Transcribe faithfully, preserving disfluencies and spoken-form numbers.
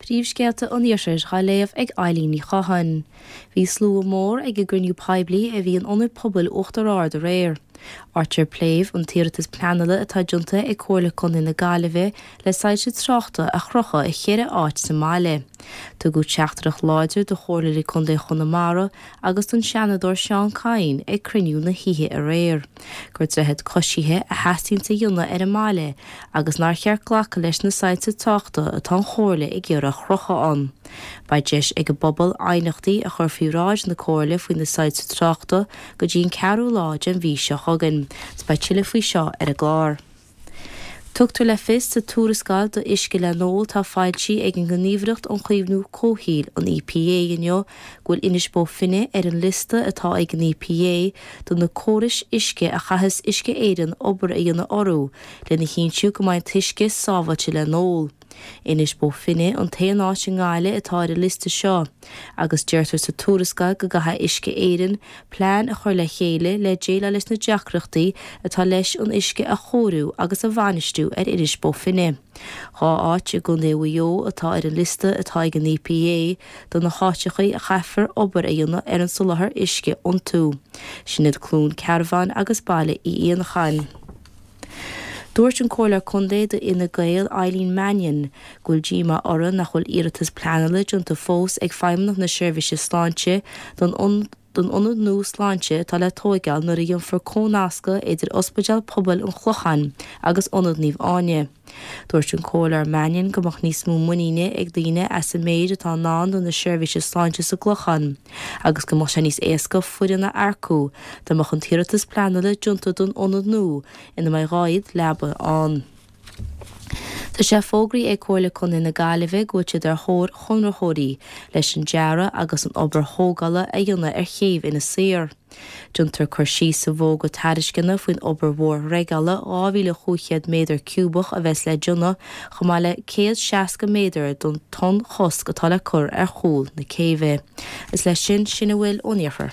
Príomhscéalta an Iarthair á léamh ag Eileen Ní Chatháin. Bhí slua mór ag an gcruinniú poiblí a bhí in Ionad Pobail Uachtar Ard aréir. Áit ar pléadh an t-iarratas pleanála atá déanta ag Comhairle Contae na Gaillimhe le soilse tráchta a chrochadh i cheithre áit sa mbaile. Tugadh teachtaireacht láidir do Chomhairleoirí Contae Chonamara agus don Seanadóir Seán Kyne ag cruinniú na hoíche aréir. Gur droichead coisithe a theastaíonn a dhéanamh ar an mbaile agus nár cheart glacadh leis na soilse tráchta atá an Chomhairle ag iarraidh a chrochadh ann. Beidh deis ag an bpobal aighneachtaí a chur faoi bhráid na Comhairle faoi na soilse tráchta go dtí an ceathrú lá den mhí seo chugainn. Beidh tuilleadh faoi seo ar an gclár. Tugtar le fios sa tuarascáil d'uisce le n-ól atá foilsithe ag an nGníomhaireacht um Chaomhnú Comhshaoil an EPA inniu go bhfuil Inis Bó Finne ar an liosta atá ag an EPA do na córais uisce a chaithfeas Uisce Éireann obair a dhéanamh orthu lena chinntiú go mbeidh an t-uisce sábháilte le n-ól. Inis Bó Finne an t-aon áit i nGaillimh atá ar an liosta seo, agus deirtear sa tuarascáil go gcaithfidh Uisce Éireann plean a chur le chéile le déileáil leis na deacrachtaí atá leis an uisce a chóiriú agus a bhainistiú ar Inis Bó Finne. Dhá áit i gContae Mhaigh Eo atá ar an liosta atá ag an EPA do na háiteacha a chaithfear obair a dhéanamh ar an soláthar uisce iontu. Sin iad Cluain Cearbán agus Baile Uí Éanacháin. Dúirt an Comhairleoir Contae d'Fhine Gael Eileen Mannion go bhfuil díomá orthu nach bhfuil iarratas pleanála déanta fós ag Feidhmeannacht na Seirbhíse Sláinte don don ionad nua sláinte atá le tóigeáil nuair a dhéanfar cónascadh idir Ospidéal Pobail an Chlocháin agus Ionad Naomh Áine. Dúirt an Comhairleoir Mannion go mbeadh níos mó muiníne ag daoine as an méid atá i ndán do na seirbhíse sláinte sa gClochán agus go mbeadh sé níos éasca foireann a earcú dá mbeadh an t-iarratas pleanála déanta don ionad nua ina mbeidh dhá fhichead leaba ann. Tá sé fógraithe ag Comhairle Contae na Gaillimhe go bhfuil siad ar thóir chonraitheoirí leis an dearadh agus an obair thógála a dhéanamh ar chéibh Inis Oírr. Déantar cur síos sa bhfógra tairisceana faoin obair mhór dhreigeála dhá mhíle chúig chéad méadar ciúbach a bheas le déanamh chomh maith le céad seasca méadar don tonnchosc atá le cur ar chúl na céibhe. Is leis sin sin a bhfuil ón iarthar.